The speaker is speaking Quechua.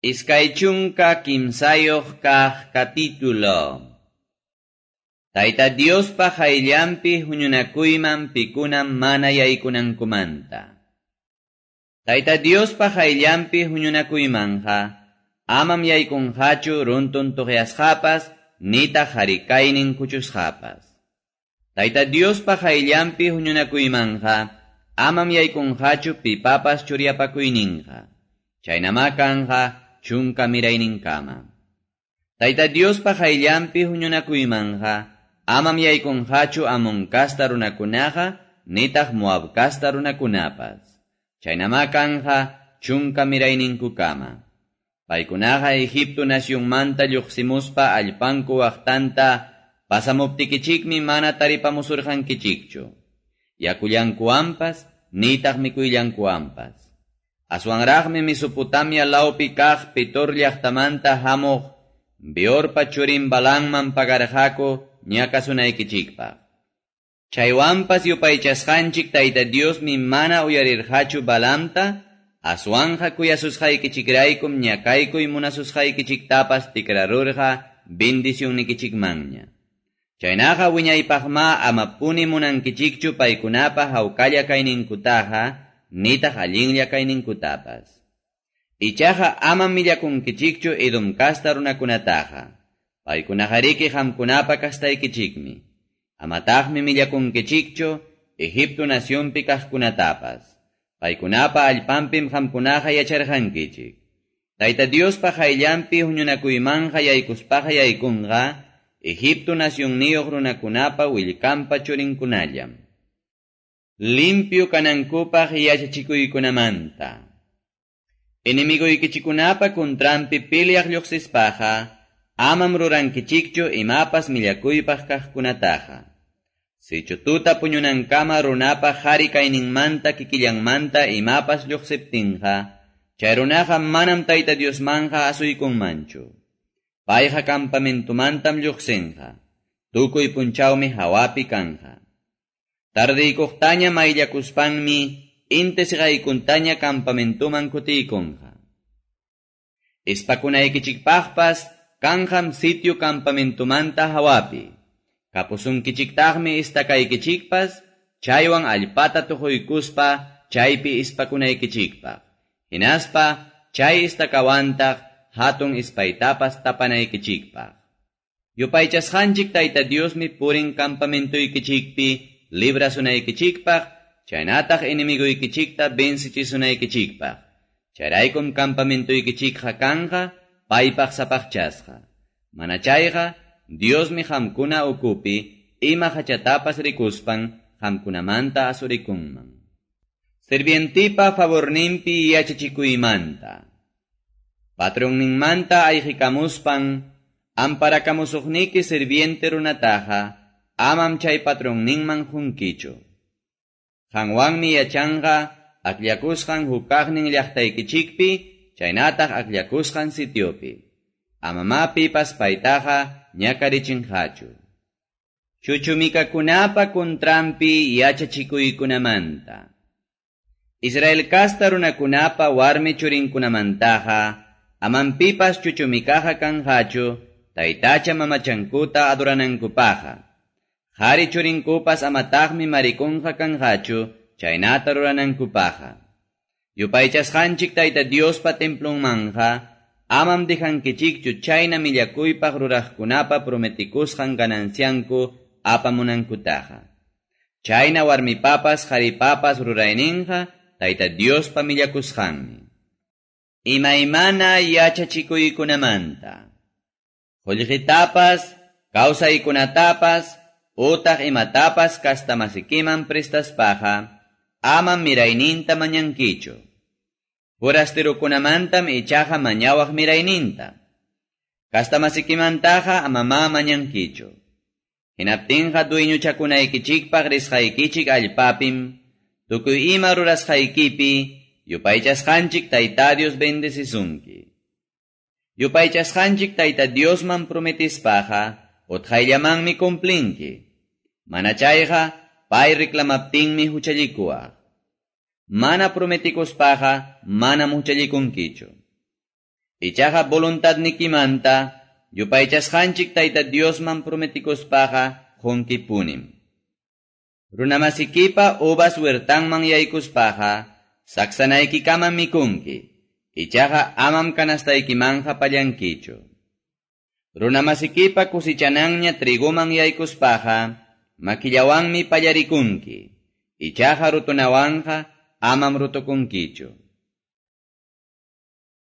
23 kaq capítulo. Tayta Diospa qayllanpi huñunakuyman pikuna mana yaykunankumanta. Tayta Diospa qayllanpi huñunakuymanqa amam yaykunqachu runtun tuqyasqapas nitaq harikaynin kuchusqapas. Tayta Diospa qayllanpi huñunakuymanqa amam yaykunqachu pipapas churyapakuyninqa. Chaynama kanqa chunka mirayninkama. Tayta Diospa qayllanpi huñunakuymanqa amam yaykunqachu Amón kasta runakunaqa nitaq Moab kasta runakunapas. Chaynama kanqa chunka mirayninkukama. Paykunaqa Egipto nacionmanta lluqsimuspa allpanku waqtanta pasamuptikichikmi mana taripamusurqankichikchu. Yakullankuwanpas nitaq mikuyllankuwanpas. Aswanraqmi Mesopotamia lawpi kaq Petor llaqtamanta hamuq Beorpa churin Balaamman pagarqaku ñakasunaykichikpaq. Chaywanpas yupaychasqanchik Tayta Diosmi mana uyarirqachu Balaamta, aswanqa kuyasusqaykichikraykum ñakaykuy munasusqaykichiktapas tikrarurqa bendicionnikichikmanña. Chaynaqa wiñaypaqma amapuni munankichikchu paykunapa hawkalla kayninkutaqa nitaq allinlla kayninkutapas. Ichaqa amam millakunkichikchu Edom kasta runakunataqa. Paykunaqariki qamkunapa kastaykichikmi. Amataqmi millakunkichikchu Egipto nacionpi kaqkunatapas. Paykunapa allpanpim qamkunaqa yacharqankichik. Tayta Diospa qayllanpi huñunakuymanqa yaykuspaqa yaykunqa Egipto nacionniyuq runakunapa willkanpa churinkunallam. Limpio kanankupaq yachachikuykunamanta. Enemiguykichikunapa kuntranpi peleaq lluqsispaqa amam rurankichikchu imapas millakuypaq kaqkunataqa. Sichu tuta puñunankama runapa qhari kayninmanta kikillanmanta imapas lluqsiptinqa, chay runaqa manam Tayta Diosmanqa asuykunmanchu. Payqa campamentomantam lluqsinqa. Tukuy punchawmi hawapi kanja. Tardiykuqtaña mayllakuspanmi inti siqaykuntaña campamentoman kutiykunqa. Ispakunaykichikpaqpas kanqam sitio campamentomanta hawapi. Kapusunkichiktaqmi istakaykichikpas, chaywan allpata tuquykuspa chaypi ispakunaykichikpaq. Hinaspa chay istakawantaq hatun ispaytapas tapanaykichikpaq. Yupaychasqanchik Tayta Diosmi purin campamentoykichikpi librasunaykichikpaq, chaynataq enemiguykichikta vencichisunaykichikpaq. Chayraykum campamentoykichikqa kanqa paypaq sapaqchasqa. Mana chayqa Diosmi qamkuna ukupi ima hachatapas rikuspan qamkunamanta asurikunman. Sirvientipa favorninpi yachachikuymanta. Patronninmanta ayqikamuspan amparakamusuqniki sirviente runataqa amam chay patronninman qunkichu. Qanwanmi yachanqa akllakusqan hukaqnin llaqtaykichikpi chaynataq akllakusqan sitiopi. Amama pipas paytaqa ñakarichinqachu. Chuchumikakunapa kuntranpi yachachikuykunamanta. Israel kasta runakunapa warmi churinkunamantaqa amam pipas chuchumikaqa kanqachu taytacha mamachankuta adoranankupaqqa. Qhari churinkupas amataqmi marikunqa kanqachu chaynata ruranankupaqqa. Yupaychasqanchik Tayta Diospa templonmanqa amam dejankichikchu chayna millakuypaq ruraqkunapa prometikusqan ganancianku apamunankutaqa. Chayna warmipapas qharipapas rurayninqa Tayta Diospa millakusqanmi. Imaymana yachachikuykunamanta. Qullqitapas, kawsaykunatapas, utaq imatapas kastamasikiman prestaspaqa, amam mirayninta mañankichu. Forasterokunamantam ichaqa mañawaq mirayninta. Kastamasikimantaqa amama mañankichu. Hinaptinqa dueñochakunaykichikpaq risqaykichik allpapim, tukuy ima rurasqaykipi, yupaychasqanchik Tayta Dios bendecisunki. Yupaychasqanchik Tayta Diosman prometispaqa, utqayllamanmi cumplinki. Mana chayqa, pay reclamaptinmi huchallikuwaq. Mana prometikuspaqa, manam huchallikunkichu. Ichaqa voluntadnikimanta yupaychasqanchik Tayta Diosman prometekuspaqa qonkipunim. Runamasikipa uvas huertanman yaykuspaqa saksanaykikama mikunki. Ichaqa amam canastaykimanqa pallankichu. Runamasikipa kusichananña triguman yaykuspaqa makillawanmi pallarikunki. Ichaqa rutunawanqa amam rutukunkichu.